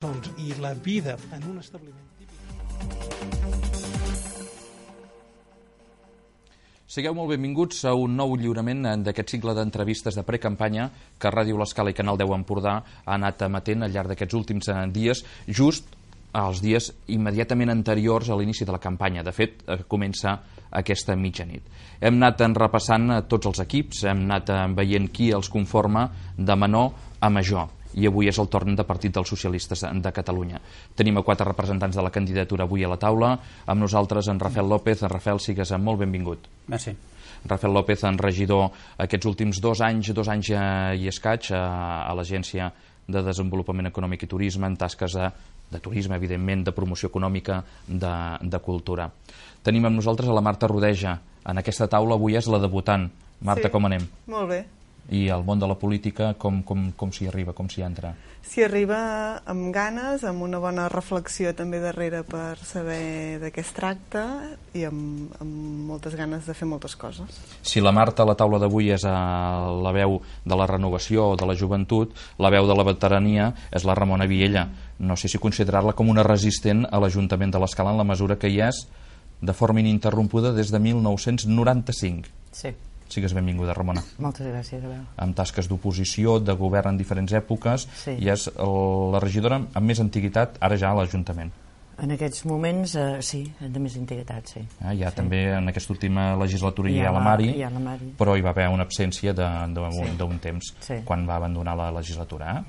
i la vida en un establiment típic. Sigueu molt benvinguts a un nou lliurament d'aquest cicle d'entrevistes de precampanya que Ràdio L'Escala i Canal 10 Empordà ha anat emetent al llarg d'aquests últims dies, just als dies immediatament anteriors a l'inici de la campanya. De fet, comença aquesta mitjanit. Hem anat repassant tots els equips, hem anat veient qui els conforma de menor a major. I avui és el torn de Partit dels Socialistes de Catalunya. Tenim a 4 representants de la candidatura avui a la taula. Amb nosaltres en Rafael López. En Rafael, sigues molt benvingut. Merci. Rafael López, en regidor aquests últims 2 anys i escaig a l'Agència de Desenvolupament Econòmic i Turisme, en tasques de turisme, evidentment, de promoció econòmica, de cultura. Tenim amb nosaltres a la Marta Rodeja. En aquesta taula avui és la debutant. Marta, sí. Com anem? Molt bé. I al món de la política, com s'hi arriba, com s'hi entra? S'hi arriba amb ganes, amb una bona reflexió també darrere per saber de què es tracta i amb moltes ganes de fer moltes coses. Si la Marta a la taula d'avui és la veu de la renovació o de la joventut, la veu de la veterania és la Ramona Viella. No sé si considerar-la com una resistent a l'Ajuntament de l'Escala en la mesura que hi és de forma ininterrompuda des de 1995. Sí. Sigues benvinguda, Ramona. Moltes gràcies, Abel. Amb tasques d'oposició, de govern en diferents èpoques, sí. I és la regidora amb més antiguitat ara ja a l'Ajuntament. En aquests moments, sí, de més antiguitat, sí. Ja sí. També en aquesta última legislatura hi ha la Mari, però hi va haver una absència d'un temps, sí. Quan va abandonar la legislatura.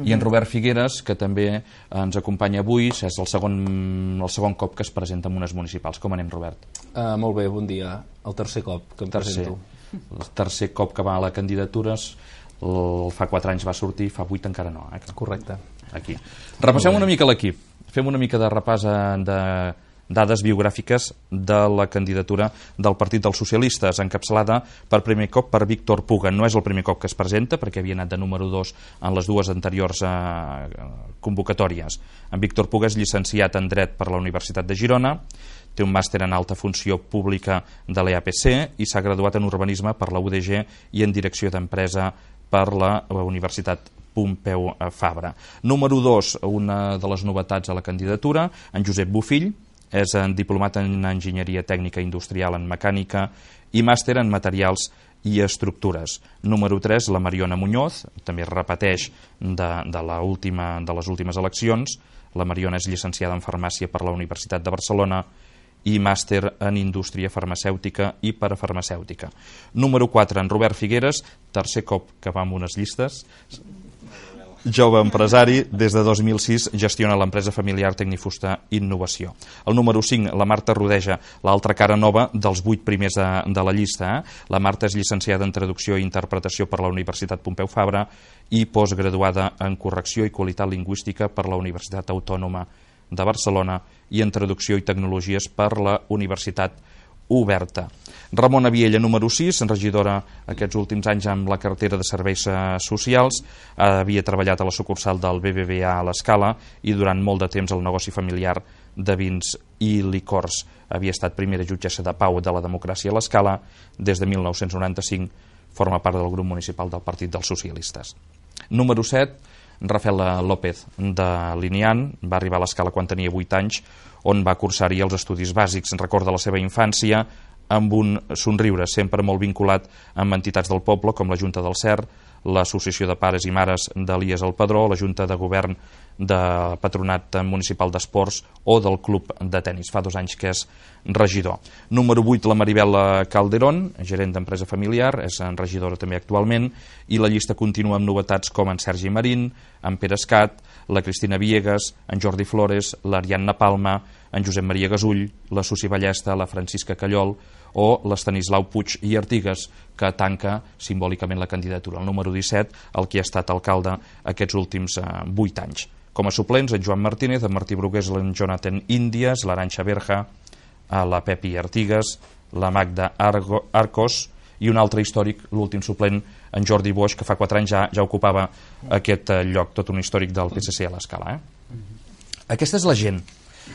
I en Robert Figueres, que també ens acompanya avui, és el segon cop que es presenta en unes municipals. Com anem, Robert? Molt bé, bon dia. El tercer cop que em presento. El tercer cop que va a la candidatura, fa 4 anys va sortir, fa 8 encara no. Correcte. Aquí. Repassem una mica l'equip. Fem una mica de repàs de dades biogràfiques de la candidatura del Partit dels Socialistes, encapçalada per primer cop per Víctor Puga. No és el primer cop que es presenta, perquè havia anat de número 2 en les 2 anteriors convocatòries. En Víctor Puga és llicenciat en Dret per la Universitat de Girona, té un màster en alta funció pública de l'EAPC i s'ha graduat en urbanisme per la UDG i en direcció d'empresa per la Universitat Pompeu Fabra. Número 2, una de les novetats a la candidatura, en Josep Bofill, és diplomat en enginyeria tècnica industrial en mecànica i màster en materials i estructures. Número 3, la Mariona Muñoz, també repeteix de les últimes eleccions. La Mariona és llicenciada en farmàcia per la Universitat de Barcelona i màster en indústria farmacèutica i parafarmacèutica. Número 4, en Robert Figueres, tercer cop que va amb unes llistes. Jove empresari, des de 2006 gestiona l'empresa familiar Tecnifusta Innovació. El número 5, la Marta Rodeja, l'altra cara nova dels 8 primers de la llista. La Marta és llicenciada en traducció i interpretació per la Universitat Pompeu Fabra i postgraduada en correcció i qualitat lingüística per la Universitat Autònoma de Barcelona i en traducció i tecnologies per la Universitat Oberta. Ramona Viella, número 6, regidora aquests últims anys amb la cartera de serveis socials, havia treballat a la sucursal del BBVA a l'Escala i durant molt de temps el negoci familiar de vins i licors. Havia estat primera jutgessa de pau de la democràcia a l'Escala. Des de 1995 forma part del grup municipal del Partit dels Socialistes. Número 7, Rafael López, de Linian, va arribar a l'Escala quan tenia 8 anys, on va cursar-hi els estudis bàsics. Recorda la seva infància amb un somriure, sempre molt vinculat amb entitats del poble, com la Junta del Cer, l'Associació de Pares i Mares d'Elies al Padró, la Junta de Govern de Patronat Municipal d'Esports o del Club de Tenis. Fa 2 anys que és regidor. Número 8, la Maribel Calderón, gerent d'empresa familiar, és regidora també actualment, i la llista continua amb novetats com en Sergi Marín, en Pere Escat, la Cristina Villegas, en Jordi Flores, l'Ariadna Palma, en Josep Maria Gasull, la Susi Ballesta, la Francisca Callol o l'Estanislau Puig i Artigas, que tanca simbòlicament la candidatura. El número 17, el que ha estat alcalde aquests últims 8 anys. Com a suplents, en Joan Martínez, en Martí Brugués, en Jonathan Índies, l'Arantxa Berja, la Pepi Artigas, la Magda Arcos i un altre històric, l'últim suplent, en Jordi Boix, que fa 4 anys ja ocupava aquest lloc, tot un històric del PSC a l'Escala. Aquesta és la gent.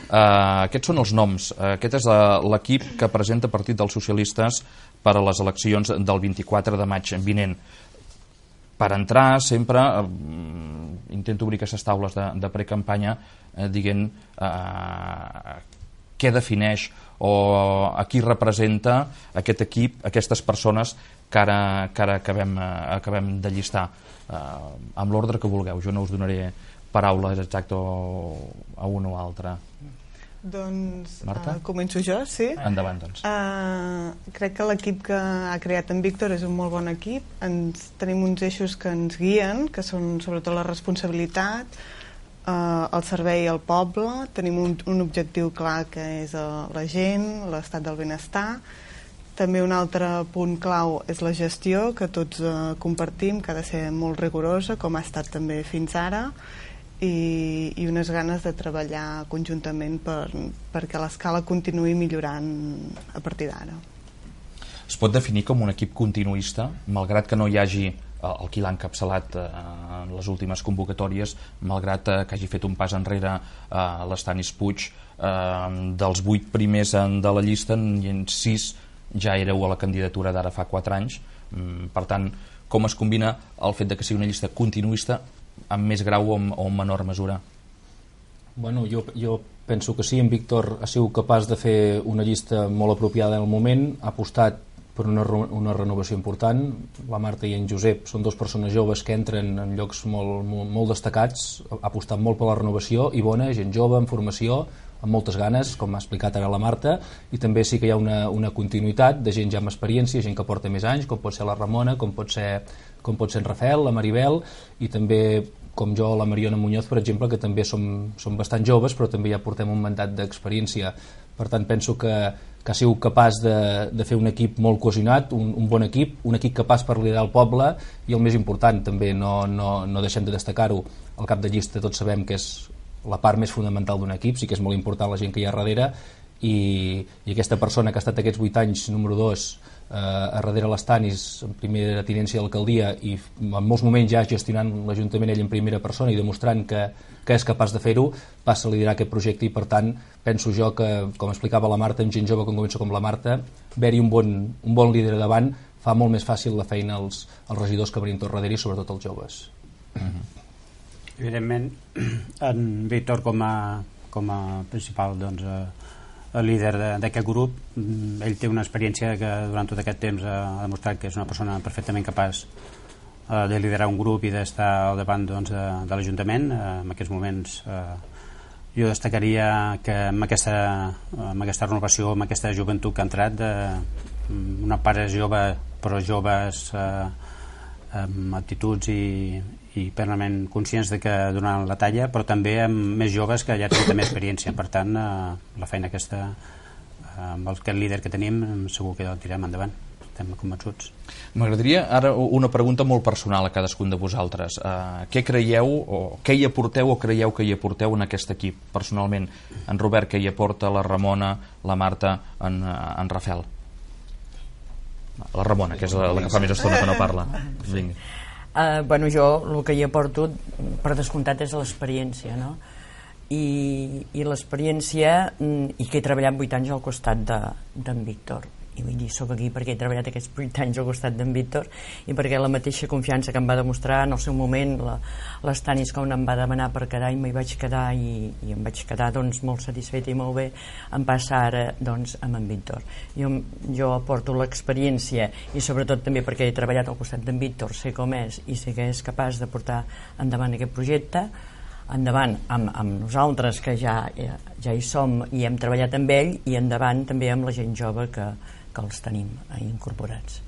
Aquests són els noms. Aquest és l'equip que presenta Partit dels Socialistes per a les eleccions del 24 de maig vinent. per entrar sempre intento obrir aquestes taules de precampanya dient què defineix o a qui representa aquest equip, aquestes persones que ara acabem de llistar, amb l'ordre que vulgueu. Jo no us donaré paraules exactes a un o altre. Doncs Marta? Començo jo, sí? Endavant, doncs. Crec que l'equip que ha creat en Víctor és un molt bon equip. Tenim uns eixos que ens guien, que són sobretot la responsabilitat, el servei al poble. Tenim un objectiu clar, que és la gent, l'estat del benestar. També un altre punt clau és la gestió, que tots compartim, que ha de ser molt rigorosa, com ha estat també fins ara, i unes ganes de treballar conjuntament perquè l'escala continuï millorant a partir d'ara. Es pot definir com un equip continuista, malgrat que no hi hagi el qui l'ha encapçalat en les últimes convocatòries, malgrat que hagi fet un pas enrere l'Estanis Puig, dels 8 primers de la llista, i en 6 ja éreu a la candidatura d'ara fa 4 anys. Per tant, com es combina el fet de que sigui una llista continuista amb més grau o en menor mesura? Bueno, jo penso que sí, en Víctor ha sigut capaç de fer una llista molt apropiada en el moment, ha apostat per una renovació important. La Marta i en Josep són 2 persones joves que entren en llocs molt destacats, ha apostat molt per la renovació i bona, gent jove, en formació, amb moltes ganes, com ha explicat ara la Marta, i també sí que hi ha una continuïtat de gent ja amb experiència, gent que porta més anys, com pot ser la Ramona, com pot ser en Rafael, la Maribel, i també com jo, la Mariona Muñoz, per exemple, que també som bastant joves, però també ja portem un mandat d'experiència. Per tant, penso que ha sigut capaç de fer un equip molt cohesionat, un bon equip, un equip capaç per liderar el poble, i el més important també, no deixem de destacar-ho, el cap de llista tots sabem que és la part més fonamental d'un equip, sí que és molt important la gent que hi ha darrere, i aquesta persona que ha estat aquests 8 anys número 2 a darrere l'Estanis, en primera tinència de l'alcaldia, i en molts moments ja gestionant l'Ajuntament ell en primera persona i demostrant que és capaç de fer-ho, passa a liderar aquest projecte, i per tant penso jo que, com explicava la Marta, amb gent jove com comença com la Marta, haver-hi un bon líder davant fa molt més fàcil la feina als regidors que venim tot darrere, i sobretot als joves. Evidentment, en Víctor com a principal líder d'aquest grup, ell té una experiència que durant tot aquest temps ha demostrat que és una persona perfectament capaç de liderar un grup i d'estar al davant de l'Ajuntament. En aquests moments jo destacaria que amb aquesta renovació, amb aquesta joventut que ha entrat, una part és jove, però joves amb actituds i plenament conscients de que donaran la talla, però també amb més joves que ja tenen també experiència. Per tant, la feina aquesta amb aquest líder que tenim segur que el tirem endavant, estem convençuts. M'agradaria ara una pregunta molt personal a cadascun de vosaltres. Què creieu o què hi aporteu o creieu que hi aporteu en aquest equip personalment? En Robert, què hi aporta? La Ramona, la Marta, en Rafael? La Ramona, que és la que fa més estona que no parla. Vinga. Bueno, jo el que hi aporto per descomptat és l'experiència, no? I l'experiència, i que he treballat 8 anys al costat d'en Víctor, i vull dir, soc aquí perquè he treballat aquests 8 anys al costat d'en Víctor, i perquè la mateixa confiança que em va demostrar en el seu moment l'Estanis, quan em va demanar per quedar, i m'hi vaig quedar, i em vaig quedar doncs molt satisfeta i molt bé, em passa ara doncs amb en Víctor. Jo aporto l'experiència, i sobretot també perquè he treballat al costat d'en Víctor, sé com és i sé que és capaç de portar endavant aquest projecte, endavant amb nosaltres que ja hi som i hem treballat amb ell, i endavant també amb la gent jove que els tenim incorporats.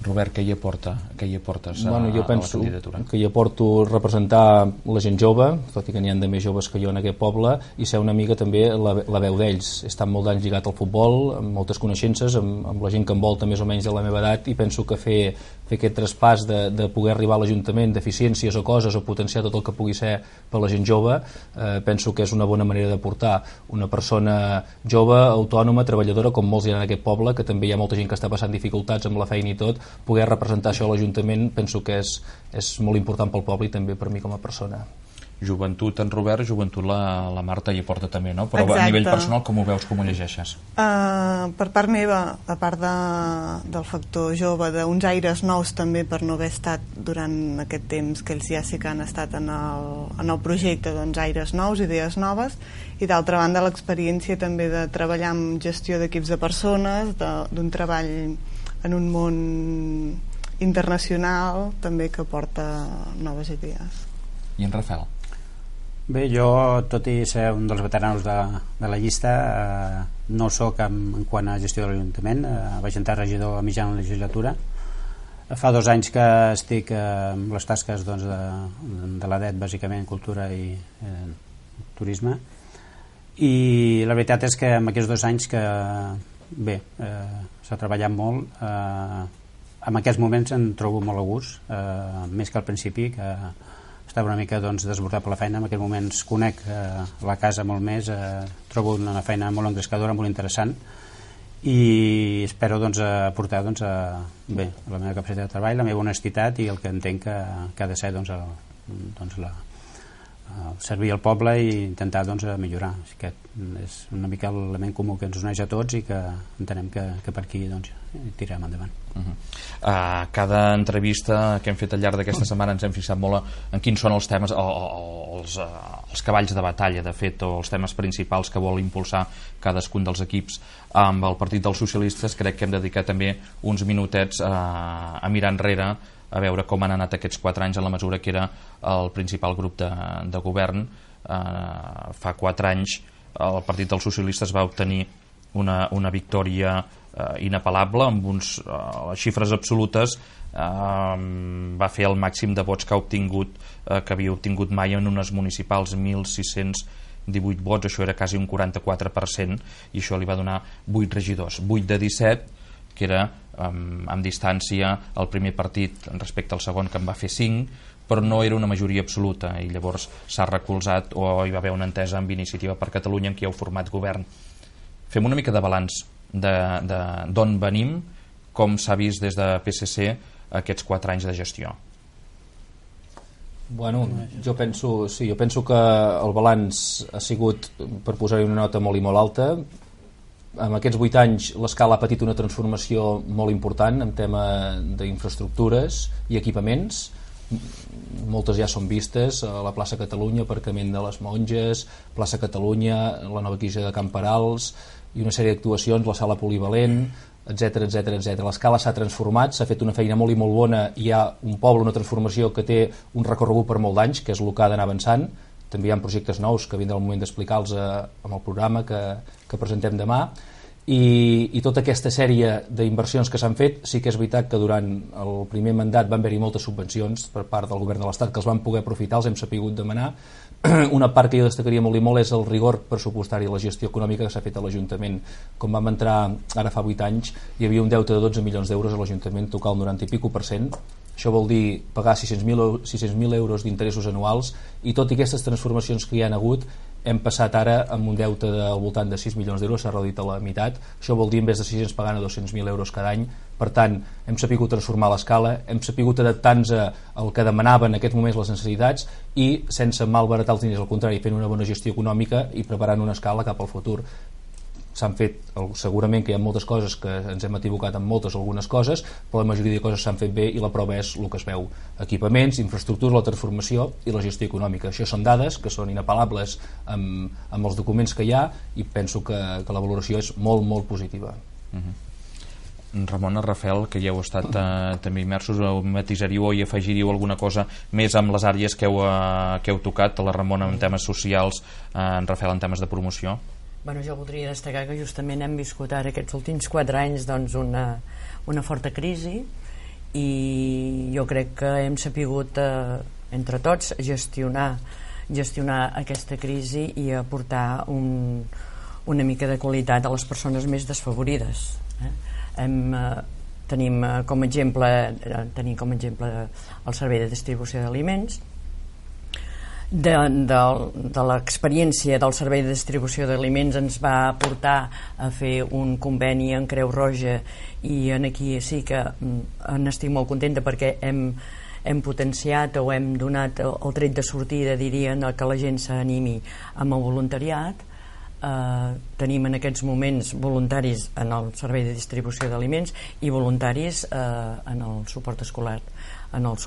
Robert, què hi aportes a jo la penso candidatura? Que hi aporto representar la gent jove, tot i que n'hi ha de més joves que jo en aquest poble, i ser una mica també la veu d'ells. He estat molt d'anys lligat al futbol, amb moltes coneixences, amb la gent que envolta més o menys de la meva edat, i penso que fer aquest traspàs de poder arribar a l'Ajuntament d'eficiències o coses, o potenciar tot el que pugui ser per la gent jove, penso que és una bona manera de portar una persona jove, autònoma, treballadora, com molts hi ha en aquest poble, que també hi ha molta gent que està passant dificultats amb la feina i tot. Poder representar això a l'Ajuntament penso que és molt important pel poble i també per mi com a persona. joventut en Robert, joventut la Marta hi aporta també, no? Però Exacte. a nivell personal com ho veus, com ho llegeixes? Per part meva, a part del factor jove, d'uns aires nous també per no haver estat durant aquest temps que ells ja sí que han estat en el projecte, doncs aires nous, idees noves, i d'altra banda l'experiència també de treballar amb gestió d'equips de persones, d'un treball en un món internacional també que porta noves idees. I en Rafael? Bé, jo, tot i ser un dels veteranos de la llista, no sóc en quant a gestió de l'Ajuntament, vaig entrar regidor a mitjana legislatura. Fa 2 anys que estic amb les tasques doncs, de l'ADET, bàsicament cultura i turisme, i la veritat és que en aquests 2 anys que bé, s'ha treballat molt, en aquests moments em trobo molt a gust, més que al principi, que estava una mica doncs, desbordat per la feina. En aquests moments conec la casa molt més, trobo una feina molt engrescadora, molt interessant, i espero doncs, aportar doncs, bé, la meva capacitat de treball, la meva honestitat i el que entenc que ha de ser doncs, servir al poble i intentar doncs, millorar. Aquest és una mica l'element comú que ens uneix a tots i que entenem que per aquí doncs, tirem endavant. Cada entrevista que hem fet al llarg d'aquesta setmana ens hem fixat molt en quins són els temes, els cavalls de batalla, de fet, o els temes principals que vol impulsar cadascun dels equips. Amb el Partit dels Socialistes crec que hem dedicat també uns minutets a mirar enrere, a veure com han anat aquests 4 anys en la mesura que era el principal grup de govern. Fa 4 anys el Partit dels Socialistes va obtenir una victòria inapel·lable, amb les xifres absolutes va fer el màxim de vots que havia obtingut mai en unes municipals, 1.618 vots, això era quasi un 44%, i això li va donar 8 regidors, 8 de 17, que era amb distància el primer partit respecte al segon, que en va fer 5, però no era una majoria absoluta, i llavors s'ha recolzat, o hi va haver una entesa amb Iniciativa per Catalunya, en qui heu format govern. Fem una mica de balanç d'on venim, com s'ha vist des de PSC aquests 4 anys de gestió. Bueno, jo penso que el balanç ha sigut, per posar-hi una nota molt i molt alta. En aquests 8 anys l'escala ha patit una transformació molt important en tema d'infraestructures i equipaments. Moltes ja són vistes, a la plaça Catalunya, aparcament de les Monges, plaça Catalunya, la nova quilla de Camperals i una sèrie d'actuacions, la sala polivalent, etc. L'escala s'ha transformat, s'ha fet una feina molt i molt bona, i hi ha un poble, una transformació que té un recorregut per molt d'anys, que és el que ha d'anar avançant. També hi ha projectes nous que vindrà el moment d'explicar-los amb el programa que presentem demà. I tota aquesta sèrie d'inversions que s'han fet, sí que és veritat que durant el primer mandat van haver-hi moltes subvencions per part del govern de l'Estat que els van poder aprofitar, els hem sapigut demanar. Una part que jo destacaria molt i molt és el rigor pressupostari i la gestió econòmica que s'ha fet a l'Ajuntament. Com vam entrar ara fa 8 anys, hi havia un deute de 12 milions d'euros a l'Ajuntament, tocar el 90 i pico %. Això vol dir pagar 600.000 euros d'interessos anuals, i tot i aquestes transformacions que hi han hagut, hem passat ara amb un deute al voltant de 6 milions d'euros, s'ha reduït a la meitat. Això vol dir en vez de 600 pagant a 200.000 euros cada any. Per tant, hem sapigut transformar l'escala, hem sapigut adaptar-nos al que demanaven en aquests moments les necessitats, i sense malbaratar els diners, al contrari, fent una bona gestió econòmica i preparant una escala cap al futur. S'han fet, segurament que hi ha moltes coses que ens hem equivocat en algunes coses, però la majoria de coses s'han fet bé, i la prova és el que es veu: equipaments, infraestructures, la transformació i la gestió econòmica. Això són dades que són inapel·lables amb els documents que hi ha, i penso que la valoració és molt, molt positiva. Ramon, Rafael, que ja heu estat també immersos, matisaríeu i afegiríeu alguna cosa més amb les àrees que heu tocat, la Ramona en temes socials, en Rafael en temes de promoció? Bueno, jo voldria destacar que justament hem viscut ara aquests últims 4 anys doncs, una forta crisi, i jo crec que hem sapigut entre tots gestionar aquesta crisi i aportar una mica de qualitat a les persones més desfavorides. Tenim com a exemple el servei de distribució d'aliments. De l'experiència del servei de distribució d'aliments ens va portar a fer un conveni en Creu Roja, i aquí sí que n'estic molt contenta perquè hem hem potenciat o hem donat el tret de sortida, dirien, que la gent s'animi amb el voluntariat. Tenim en aquests moments voluntaris en el servei de distribució d'aliments i voluntaris en el suport escolar, en el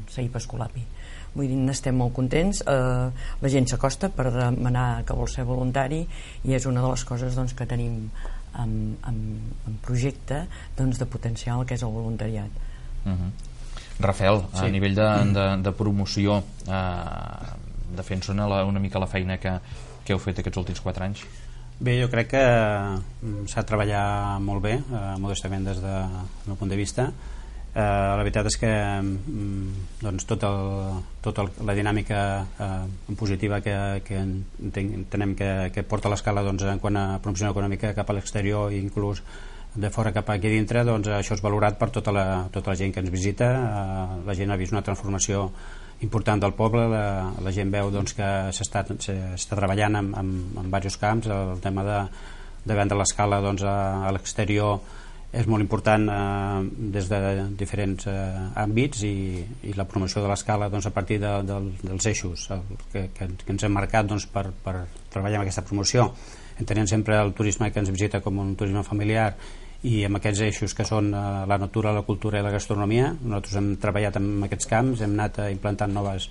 CEIP Escolapi. Vull dir, n'estem molt contents, la gent s'acosta per demanar que vol ser voluntari i és una de les coses doncs, que tenim en projecte doncs, de potenciar el que és el voluntariat. Rafael, a nivell de promoció, de fer una mica la feina que heu fet aquests últims 4 anys? Bé, jo crec que s'ha de treballar molt bé, modestament des del meu punt de vista. La veritat és que doncs, tota la dinàmica positiva que entenem que porta l'escala doncs, en quant a promoció econòmica cap a l'exterior i inclús de fora cap aquí dintre, doncs, això és valorat per tota la gent que ens visita. La gent ha vist una transformació important del poble, la gent veu doncs, que s'està treballant en diversos camps. El tema de vendre l'escala doncs, a l'exterior és molt important des de diferents àmbits i la promoció de l'escala doncs, a partir dels eixos que ens hem marcat doncs, per treballar en aquesta promoció, entenent sempre el turisme que ens visita com un turisme familiar i amb aquests eixos que són la natura, la cultura i la gastronomia. Nosaltres hem treballat en aquests camps, hem anat implantant noves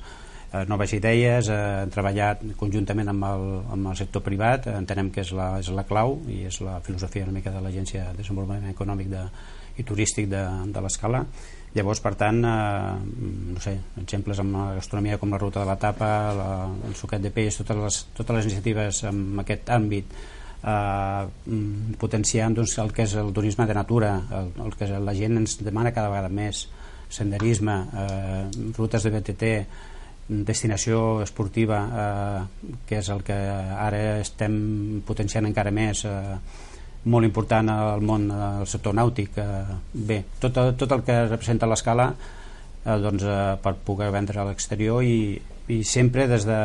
idees, hem treballat conjuntament amb el sector privat, entenem que és la clau i és la filosofia una mica de l'Agència de Desenvolupament Econòmic i Turístic de l'Escala. Llavors, per tant, no sé, exemples amb la gastronomia com la ruta de la tapa, el suquet de peix, totes les iniciatives en aquest àmbit, potenciant doncs, el que és el turisme de natura, el que la gent ens demana cada vegada més, senderisme, rutes de BTT, destinació esportiva, que és el que ara estem potenciant encara més, molt important al món del sector nàutic. Bé, tot el que representa l'escala doncs, per poder vendre a l'exterior i sempre des de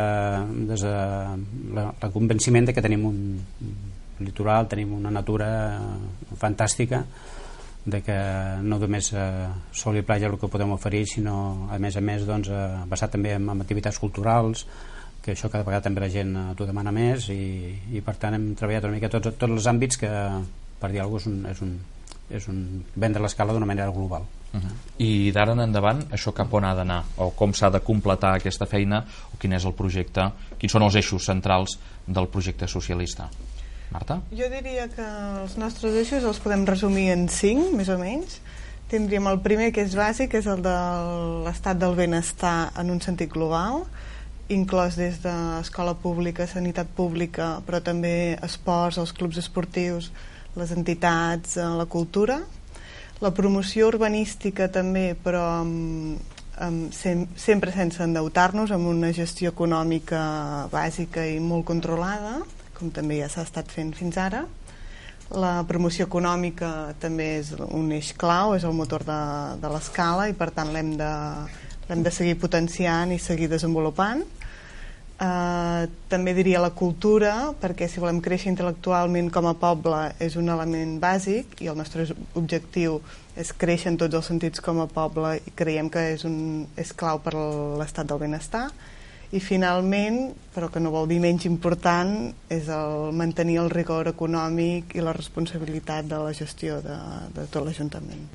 el convenciment de que tenim un litoral, tenim una natura fantàstica, de que no només sol i platja el que podem oferir, sinó a més doncs, basat també en activitats culturals, que això cada vegada també la gent t'ho demana més i per tant hem treballat una mica tots els àmbits que, per dir alguna cosa, és un vendre l'escala d'una manera global. I d'ara en endavant això cap on ha d'anar, o com s'ha de completar aquesta feina, o quin és el projecte, quins són els eixos centrals del projecte socialista? Marta? Jo diria que els nostres eixos els podem resumir en 5, més o menys. Tindríem el primer, que és bàsic, que és el de l'estat del benestar en un sentit global, inclòs des d'escola pública, sanitat pública, però també esports, els clubs esportius, les entitats, la cultura. La promoció urbanística també, però sempre sense endeutar-nos, amb una gestió econòmica bàsica i molt controlada, com també ja s'ha estat fent fins ara. La promoció econòmica també és un eix clau, és el motor de l'escala i per tant l'hem de seguir potenciant i seguir desenvolupant. També diria la cultura, perquè si volem créixer intel·lectualment com a poble és un element bàsic i el nostre objectiu és créixer en tots els sentits com a poble i creiem que és clau per l'estat del benestar. I finalment, però que no vol dir menys important, és el mantenir el rigor econòmic i la responsabilitat de la gestió de tot l'Ajuntament.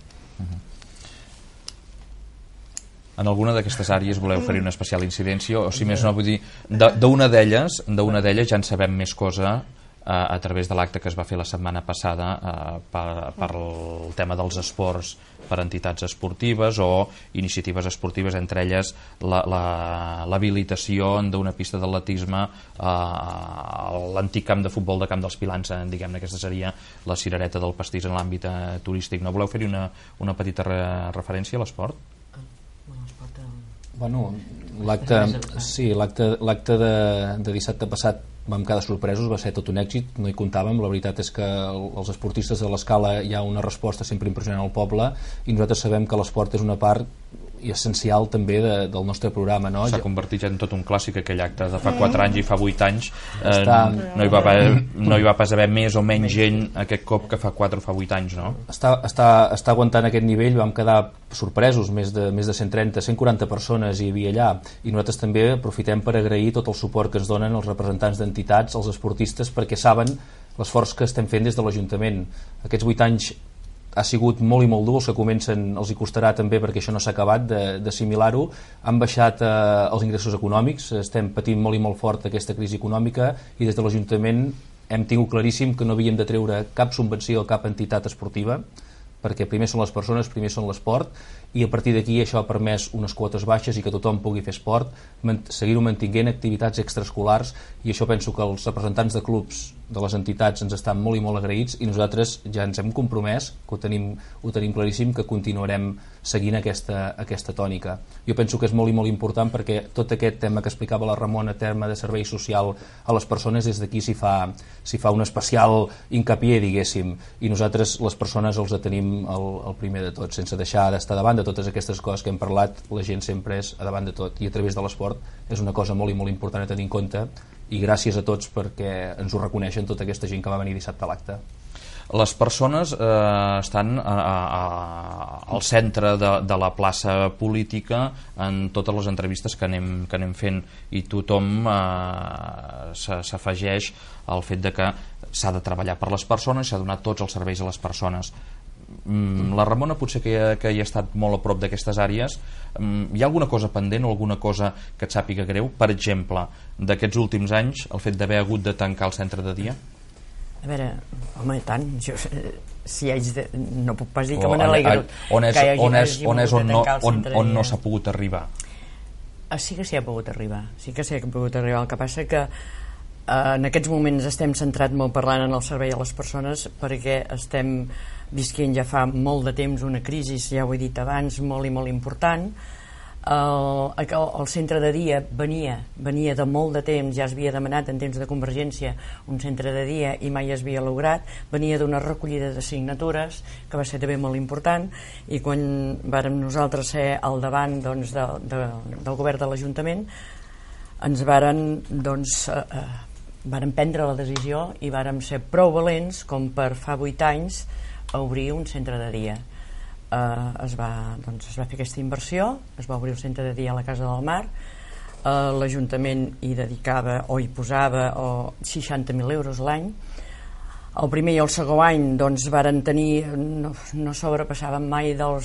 En alguna d'aquestes àrees voleu oferir una especial incidència, o si més no, vull dir, d'una d'elles ja en sabem més cosa a través de l'acte que es va fer la setmana passada per el tema dels esports per entitats esportives o iniciatives esportives, entre elles l'habilitació d'una pista d'atletisme a l'antic camp de futbol de Camp dels Pilans, diguem-ne, aquesta seria la cirereta del pastís en l'àmbit turístic. No voleu fer-hi una petita referència a l'esport? Bueno, l'acte de dissabte passat vam quedar sorpresos, va ser tot un èxit, no hi comptàvem. La veritat és que els esportistes de l'escala hi ha una resposta sempre impressionant al poble i nosaltres sabem que l'esport és una part i essencial també del nostre programa, no? S'ha convertit en tot un clàssic aquell acte de fa 4 anys i fa 8 anys. No hi va pas haver més o menys gent aquest cop que fa 4 o fa 8 anys, no? Està aguantant aquest nivell. Vam quedar sorpresos, més de 130, 140 persones hi havia allà, i nosaltres també aprofitem per agrair tot el suport que ens donen els representants d'entitats, els esportistes, perquè saben l'esforç que estem fent des de l'Ajuntament. Aquests 8 anys ha sigut molt i molt dur, els que comencen els hi costarà també, perquè això no s'ha acabat d'assimilar-ho. Han baixat els ingressos econòmics, estem patint molt i molt fort aquesta crisi econòmica, i des de l'Ajuntament hem tingut claríssim que no havíem de treure cap subvenció a cap entitat esportiva, perquè primer són les persones, primer són l'esport, i a partir d'aquí això ha permès unes quotes baixes i que tothom pugui fer esport, seguir-ho mantinguent, activitats extraescolars, i això penso que els representants de clubs de les entitats ens estan molt i molt agraïts, i nosaltres ja ens hem compromès, que ho tenim claríssim, que continuarem seguint aquesta tònica. Jo penso que és molt i molt important, perquè tot aquest tema que explicava la Ramona, tema de servei social a les persones, des d'aquí s'hi fa un especial hincapié, diguéssim, i nosaltres les persones els tenim el primer de tot, sense deixar d'estar davant de totes aquestes coses que hem parlat. La gent sempre és a davant de tot, i a través de l'esport és una cosa molt i molt important a tenir en compte, i gràcies a tots perquè ens ho reconeixen, tota aquesta gent que va venir dissabte a l'acte. Les persones estan al centre de la plaça política en totes les entrevistes que anem fent, i tothom s'afegeix al fet de que s'ha de treballar per les persones, s'ha de donar tots els serveis a les persones. La Ramona potser que hi ha estat molt a prop d'aquestes àrees. Hi ha alguna cosa pendent o alguna cosa que et sàpiga greu? Per exemple, d'aquests últims anys, el fet d'haver hagut de tancar el centre de dia? A veure, home, tant, jo, si haig de... no puc pas dir que me n'alegro on no s'ha pogut arribar. Sí que s'hi ha pogut arribar, el que passa que en aquests moments estem centrat molt parlant en el servei a les persones, perquè estem visquent ja fa molt de temps una crisi, ja ho he dit abans, molt i molt important. El centre de dia venia de molt de temps, ja es havia demanat en temps de Convergència un centre de dia i mai es havia lograt, venia d'una recollida de signatures que va ser també molt important, i quan vàrem nosaltres ser al davant del govern de l'Ajuntament ens vàrem prendre la decisió i vàrem ser prou valents com per fa 8 anys a obrir un centre de dia. Es va fer aquesta inversió, es va obrir un centre de dia a la Casa del Mar. L'Ajuntament hi dedicava o hi posava 60.000 euros l'any. El primer i el segon any varen tenir, no sobrepassaven mai no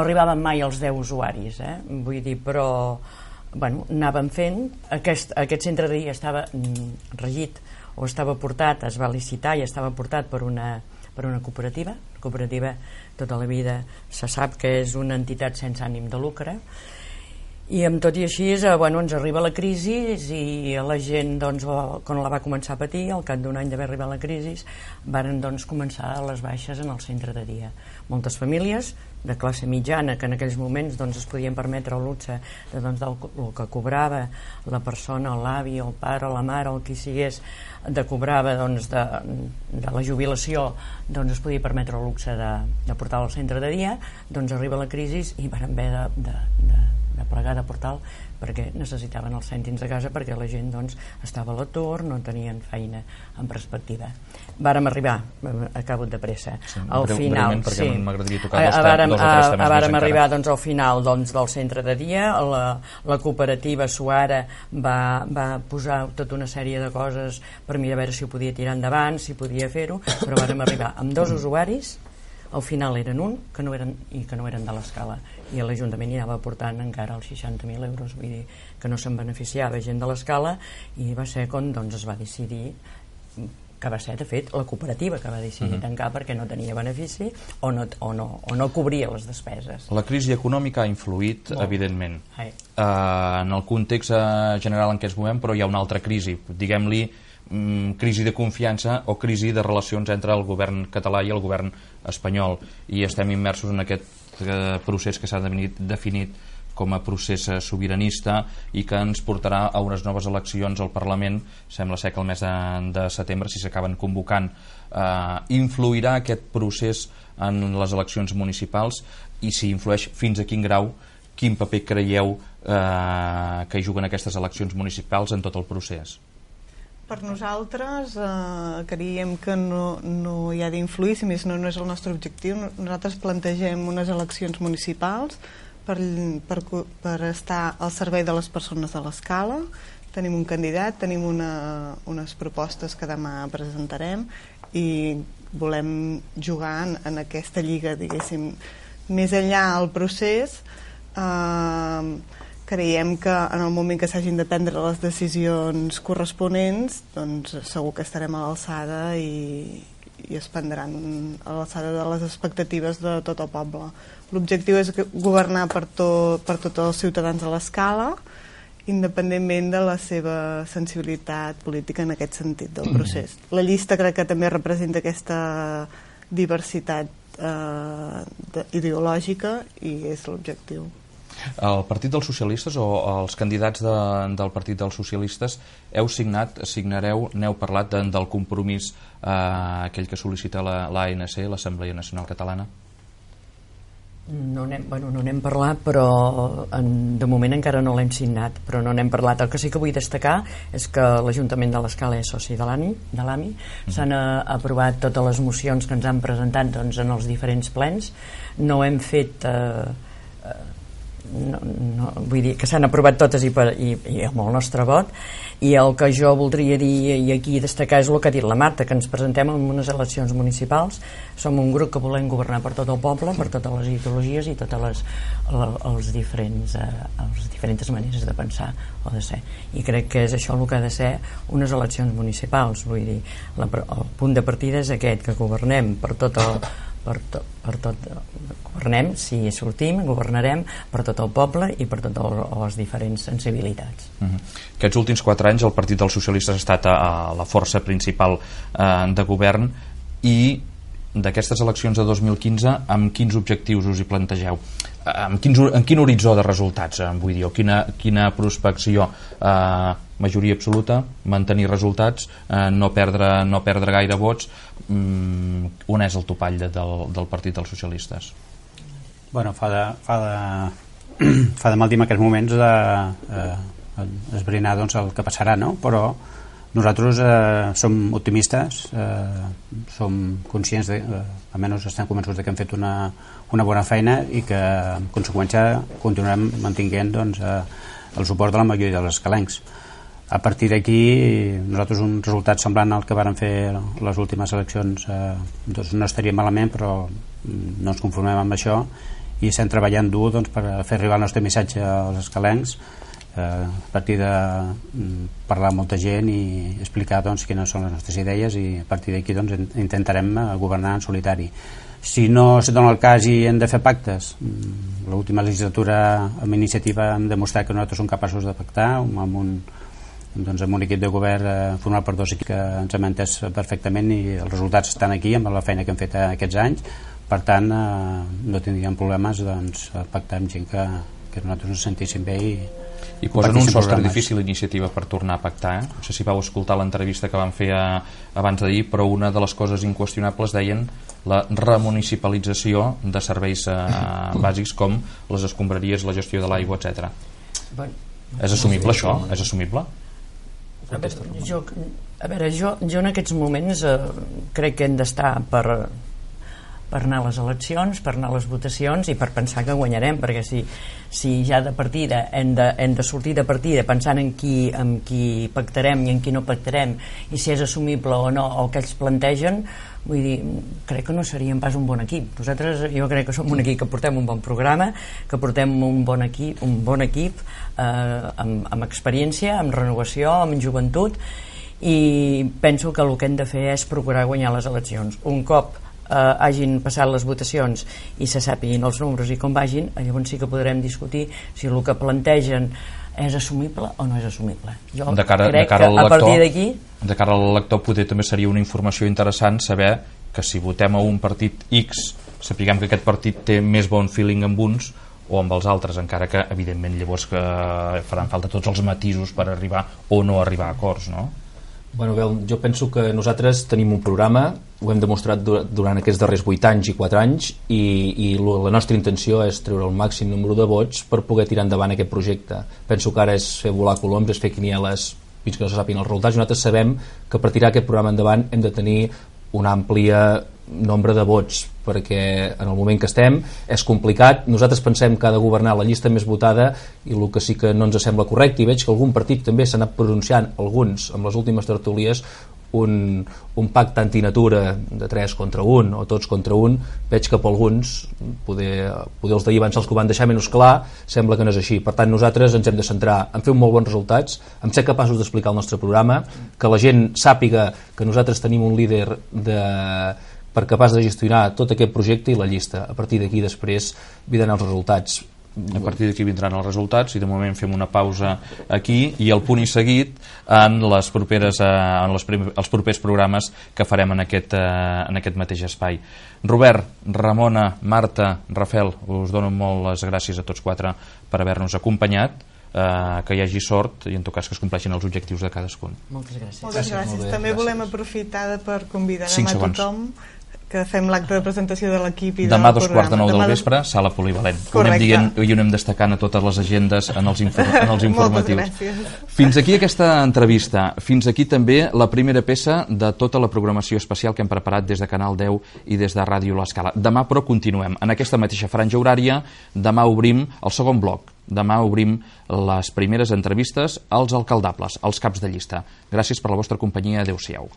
arribaven mai als 10 usuaris, vull dir, però anàvem fent. Aquest centre de dia estava regit o estava portat, es va licitar i estava portat per una cooperativa. La cooperativa tota la vida se sap que és una entitat sense ànim de lucre, i amb tot i així ens arriba la crisi i la gent quan la va començar a patir, al cap d'un any d'haver arribat la crisi varen començar les baixes en el centre de dia. Moltes famílies de classe mitjana que en aquells moments es podien permetre el luxe del que cobrava la persona, l'avi, el pare, la mare, el qui sigués, cobrava de la jubilació, es podia permetre el luxe de portar al centre de dia. Arriba la crisi i van haver de plegar de portal, perquè necessitaven els cèntims de casa, perquè la gent estava a l'atur, no tenien feina en perspectiva. Vàrem arribar, acabo de pressa, al final, vàrem arribar al final del centre de dia. La cooperativa Suara va posar tota una sèrie de coses per mirar a veure si ho podia tirar endavant, si podia fer-ho, però vàrem arribar amb 2 usuaris. Al final eren un que no eren de l'escala, i l'Ajuntament hi anava portant encara els 60.000 euros, vull dir que no se'n beneficiava gent de l'escala, i va ser quan es va decidir, que va ser de fet la cooperativa que va decidir tancar perquè no tenia benefici o no cobria les despeses. La crisi econòmica ha influït, evidentment, en el context general en què ens movem, però hi ha una altra crisi, diguem-li crisi de confiança o crisi de relacions entre el govern català i el govern espanyol, i estem immersos en aquest procés que s'ha definit com a procés sobiranista i que ens portarà a unes noves eleccions al Parlament, sembla ser que el mes de setembre, si s'acaben convocant. Influirà aquest procés en les eleccions municipals, i si influeix, fins a quin grau, quin paper creieu que hi juguen aquestes eleccions municipals en tot el procés? Per nosaltres creiem que no hi ha d'influir, si més no és el nostre objectiu. Nosaltres plantegem unes eleccions municipals per estar al servei de les persones de l'Escala. Tenim un candidat, tenim unes propostes que demà presentarem i volem jugar en aquesta lliga, diguéssim. Més enllà del procés, creiem que en el moment que s'hagin de prendre les decisions corresponents, doncs segur que estarem a l'alçada i es prendran a l'alçada de les expectatives de tot el poble. L'objectiu és governar per tots els ciutadans a l'Escala, independentment de la seva sensibilitat política en aquest sentit del procés. La llista crec que també representa aquesta diversitat ideològica i és l'objectiu. El Partit dels Socialistes o els candidats del Partit dels Socialistes n'heu parlat del compromís aquell que sol·licita l'ANC, l'Assemblea Nacional Catalana? No n'hem parlat, però de moment encara no l'hem signat, però no n'hem parlat. El que sí que vull destacar és que l'Ajuntament de l'Escala és soci de l'AMI. S'han aprovat totes les mocions que ens han presentat en els diferents plens. No hem fet vull dir que s'han aprovat totes i amb el nostre vot, i el que jo voldria dir i aquí destacar és el que ha dit la Marta, que ens presentem en unes eleccions municipals. Som un grup que volem governar per tot el poble, per totes les ideologies i totes les diferents maneres de pensar o de ser, i crec que és això el que ha de ser unes eleccions municipals. Vull dir, el punt de partida és aquest, que governem per tot governem, si sortim, governarem per tot el poble i per totes les diferents sensibilitats. Aquests últims 4 anys el Partit dels Socialistes ha estat a la força principal de govern, i d'aquestes eleccions de 2015 amb quins objectius us hi plantegeu? En quin horitzó de resultats, vull dir, quina prospecció? Majoria absoluta, mantenir resultats, no perdre gaire vots. On és el topall del Partit dels Socialistes? Bueno, fa de mal dir en aquests moments esbrinar el que passarà, no? Però nosaltres som optimistes, som conscients, almenys estem convençuts que hem fet una bona feina i que en conseqüència continuarem mantenint el suport de la majoria dels escalencs. A partir d'aquí, nosaltres un resultat semblant al que varen fer les últimes eleccions no estaria malament, però no ens conformem amb això i estem treballant dur per fer arribar el nostre missatge als escalencs, a partir de parlar amb molta gent i explicar quines són les nostres idees, i a partir d'aquí intentarem governar en solitari. Si no se dona el cas i hem de fer pactes, l'última legislatura amb iniciativa hem demostrat que nosaltres som capaços de pactar amb un equip de govern format per 2 equips que ens hem entès perfectament, i els resultats estan aquí amb la feina que hem fet aquests anys. Per tant, no tindríem problemes a pactar amb gent que nosaltres ens sentíssim bé i posen un sostre difícil iniciativa per tornar a pactar. No sé si vau escoltar l'entrevista que van fer abans d'ahir, però una de les coses inqüestionables deien la remunicipalització de serveis bàsics com les escombraries, la gestió de l'aigua, etc. És assumible això? És assumible? Jo en aquests moments crec que hem d'estar per anar a les eleccions, per anar a les votacions i per pensar que guanyarem, perquè si ja de partida hem de sortir de partida pensant en qui pactarem i en qui no pactarem, i si és assumible o no el que ells plantegen, vull dir, crec que no seríem pas un bon equip. Nosaltres, jo crec que som un equip que portem un bon programa, que portem un bon equip amb experiència, amb renovació, amb joventut, i penso que el que hem de fer és procurar guanyar les eleccions. Un cop hagin passat les votacions i se sàpiguin els números i com vagin, llavors sí que podrem discutir si el que plantegen és assumible o no és assumible. Jo crec que a partir d'aquí, de cara al lector, potser també seria una informació interessant saber que si votem a un partit X sapiguem que aquest partit té més bon feeling amb uns o amb els altres, encara que evidentment llavors que faran falta tots els matisos per arribar o no arribar a acords, no? Bueno, jo penso que nosaltres tenim un programa, ho hem demostrat durant aquests darrers 8 anys i 4 anys, i la nostra intenció és treure el màxim número de vots per poder tirar endavant aquest projecte. Penso que ara és fer volar coloms, és fer quinieles fins que no se sàpiguen els resultats, i nosaltres sabem que per tirar aquest programa endavant hem de tenir un àmplia nombre de vots, perquè en el moment que estem és complicat. Nosaltres pensem que ha de governar la llista més votada, i el que sí que no ens sembla correcte, i veig que algun partit també s'ha anat pronunciant, alguns amb les últimes tertúlies, un pacte antinatura de 3 contra 1 o tots contra 1, veig que per alguns poder els d'ahir van ser els que ho van deixar menys clar, sembla que no és així. Per tant, nosaltres ens hem de centrar en fer molt bons resultats, en ser capaços d'explicar el nostre programa, que la gent sàpiga que nosaltres tenim un líder per capaç de gestionar tot aquest projecte i la llista. A partir d'aquí després vindran els resultats. A partir d'aquí vindran els resultats, i de moment fem una pausa aquí, i el punt i seguit en els propers programes que farem en aquest mateix espai. Robert, Ramona, Marta, Rafael, us dono molt les gràcies a tots 4 per haver-nos acompanyat, que hi hagi sort i en tot cas que es compleixin els objectius de cadascun. Moltes gràcies. Moltes gràcies. També volem aprofitar per convidar a tothom que fem l'acte de presentació de l'equip i demà del programa. Demà 2:45 del vespre, sala polivalent. Ho anem dient i ho anem destacant a totes les agendes en els informatius. Moltes gràcies. Fins aquí aquesta entrevista. Fins aquí també la primera peça de tota la programació especial que hem preparat des de Canal 10 i des de Ràdio L'Escala. Demà, però, continuem. En aquesta mateixa franja horària, demà obrim el segon bloc. Demà obrim les primeres entrevistes als alcaldables, als caps de llista. Gràcies per la vostra companyia. Adéu-siau.